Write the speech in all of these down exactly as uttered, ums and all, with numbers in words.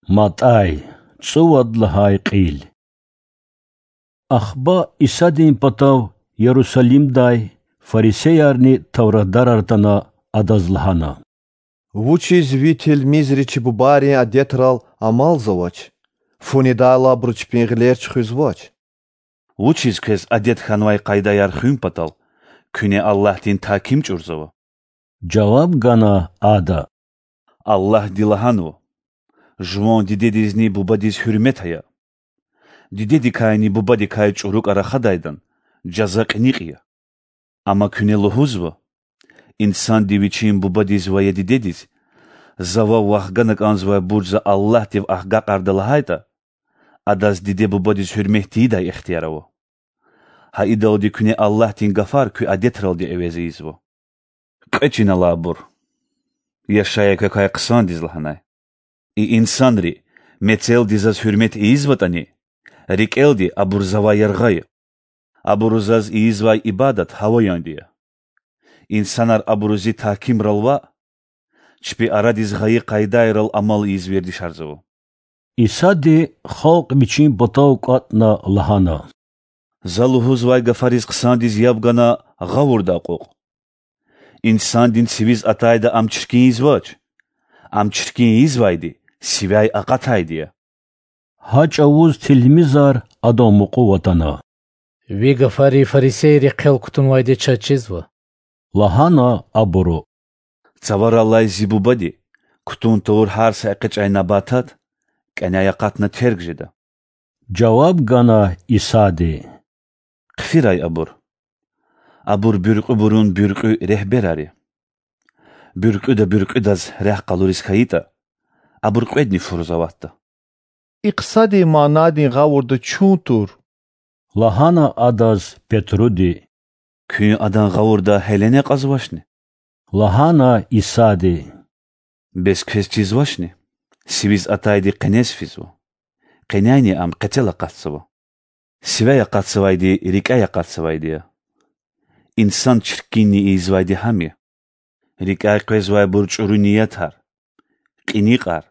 МатӀай, цӀувад лагьай кьил. Ахпа Исадин патав Ярусалимдай фарисеярни тавратдарар атана, Адаз лагьана: Вучиз Ви тилмизри чи бубайрин адетрал амалзавач? Фу недайла, абуру чпин гъилер чуьхуьзвач. Вучиз квез адет хьанвай къайдаяр хуьн патал куьне Аллагьдин тагьким чӀурзава? жаваб гана Ада. Аллагьди лагьанва: Жуван дидедизни бубадиз гьуьрмет ая. Дидедикайни бубадикай чӀурукӀа рахадайдан жаза кьиникь я. Амма куьне лугьузва: Инсанди вичин бубадиз ва я дидедиз, за вав вахгана кӀанзавайбур за Аллагьдив агакьарда лагьайтӀа, адаз диде-бубадиз гьуьрмет тийидай ихтияр ава. Гьа идалди куьне Аллагьдин гафар куь адетралди эвез ийизва. Кьве чин ала абур. Яшая квекай хъсандиз лагьанай: И инсанри мецелди заз гьуьрмет ийизватӀани, рикӀелди абур завай яргъа я. Абуру заз ийизвай ибадат гьаваянди я. Инсанар абуру зи тагькимрал ваъ, чпи арадиз гъайи къайдайрал амал ийиз вердишарзава. Исади халкь Вичин патав кӀватӀна лагьана: За лугьузвай гафариз хъсандиз яб гана гъавурда акьукь. Инсандин сивиз атайда ам чиркин ийизвач. Ам чиркин ийизвайди сивяй акъатайди я. Гьа чӀавуз тилмизар Адан мукьув атана. Ви гафари фарисейри хъел кутунвайди чаз чизва,– лагьана абуру. Цаварал алай Зи Бубади кутун тавур гьар са экъечӀай набатат кӀаняй акъатна терг жеда,– жаваб гана Исади. Хъфирай абур. Абур буьркьуьбурун буьркьуь регьберар я. Буьркьуьда буьркьуьдаз рехъ къалуриз хьайитӀа, абур кьведни фуруз аватда. И хъсандин манадин гъавурда чун тур,– лагьана Адаз Петруди. Куьн адан гъавурда гьелени акьазвачни? лагьана Исади. Бес квез чизвачни: сивиз атайди къенез физва, къеняйни ам къецел акъатзава? Сивяй акъатзавайди рикӀяй акъатзавайди я. Инсан чиркинни ийизвайди гьам я: рикӀяй къвезвайбур чӀуру ниятар, кьиникьар,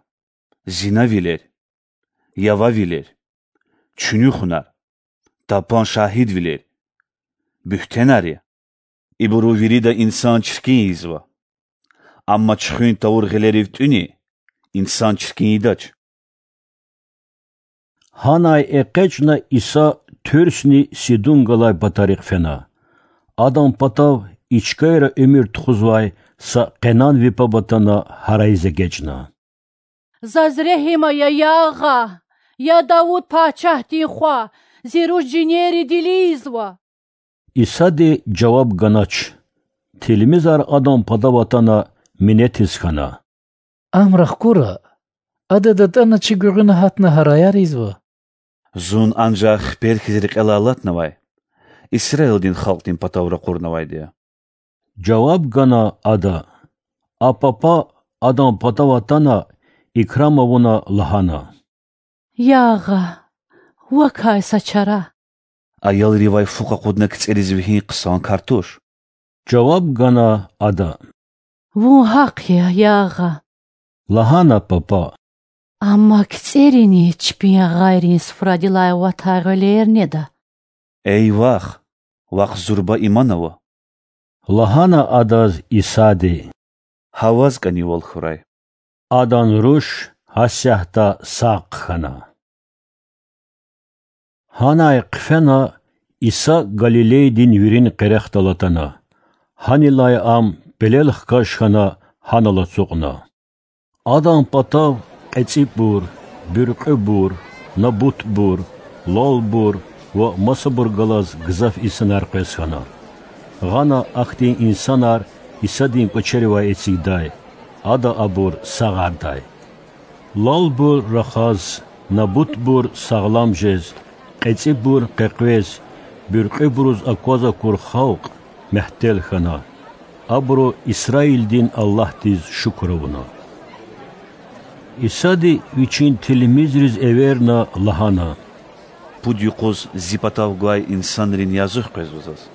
зинавилер, явавилер, чуьнуьхунар, тапан шагьидвилер, буьгьтенар я. Ибуру вирида инсан чиркин ийизва. Амма чуьхуьн тавур гъилерив тӀуьни, инсан чиркин ийидач. Гьанай экъечӀна Иса Туьрсни Сидун галай патарихъ фена. Адан патав и чкайра уьмуьр тухузвай са къенан вепаб атана гьарайиз эгечӀна. Заз регьим ая, я Агъа! Я Давуд пачагьдин Хва! Зи руш жинерри дилиизва! Исади жаваб ганач. Тилмизар Адан патав атана минетиз хьана: Ам рахкура, Ада датӀана чи гуьгъуьна гьатна гьараяр ийизва. Зун анжах хипер хьиз рекьелай алатнавай, Исраилдин халкьдин патав ракъурнавайди я,– жаваб гана Ада. А папа, Адан патав атана, икрам авуна, лагьана: Я Агъа, вакай са чара! Аялривай фу къакъудна кицӀериз вегьин хъсан кар туш,– жаваб гана Ада. Вун гьахъ я, я Агъа,– лагьана папа. Амма кицӀерини чпин агъайрин суфрадилай аватай гъуьлер неда. Эй вах, вахъ зурба иман ава,– лагьана Адаз Исади. Гьа ваз кӀанивал хьурай. Адан руш гьасятда сагъ хъхьана. Гьанай хъфена Иса Галилейдин вирин къерехдал атана. Гьанилай Ам пелел хкаж хьана гьанал ацукьна. Адан патав кьецӀибур, буьркьуьбур, набутбур, лалбур ва масабур галаз гзаф инсанар къвез хьана. Гъана ахьтин инсанар Исадин кӀвачеривай эцигдай, Ада абур сагъардай. Лалбур рахаз, набутбур сагълам жез, кьецӀибур къекъвез, буьркьуьбуруз акваз акур халкь мягьтел хьана. Абуру Исраилдин Аллагьдиз шукур авуна. Исади Вичин тилмизриз эверна, лагьана: Пуд юкъуз Зи патав гвай инсанрин язух къвезва заз.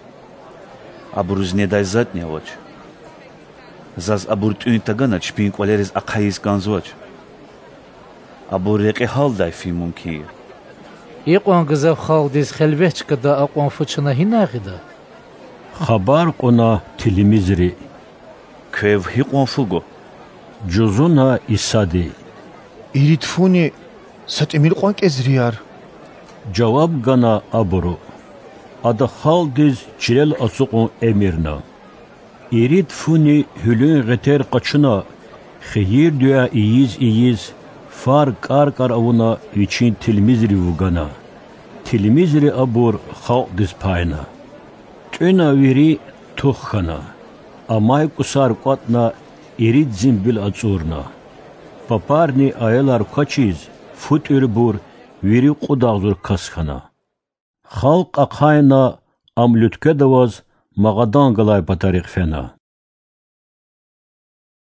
Абуруз недай затӀни авач. Заз абур тӀуьн тагана чпин кӀвалериз ахъайиз кӀанзавач. Абур рекье гьалдай фин мумкин я. Икьван гзаф халкьдиз хелвет чкада акьван фу чна гьинай гъида? Хабар кьуна тилмизри. Квев гьикьван фу гва? Жузуна Исади. Ирид фуни са тӀимил кьван кӀезрияр,— жаваб гана абуру. Ада халкьдиз чилел ацукьун эмирна. Ирид фуни гьуьлуьн гъетер къачуна, хийир-дуьа ийиз-ийиз, фар кӀар-кӀар авуна, вичин тилмизрив вугана. Тилмизри абур халкьдиз пайна. ТӀуьна вири тух хьана. Амай кӀусар кӀватӀна, ирид зимбил ацӀурна. Папарни аялар квачиз, фу тӀуьрбур, вири кьуд агъзур кас хьана. Халкь ахъайна, ам луьткведа аваз Магъадан галай патарихъ фена.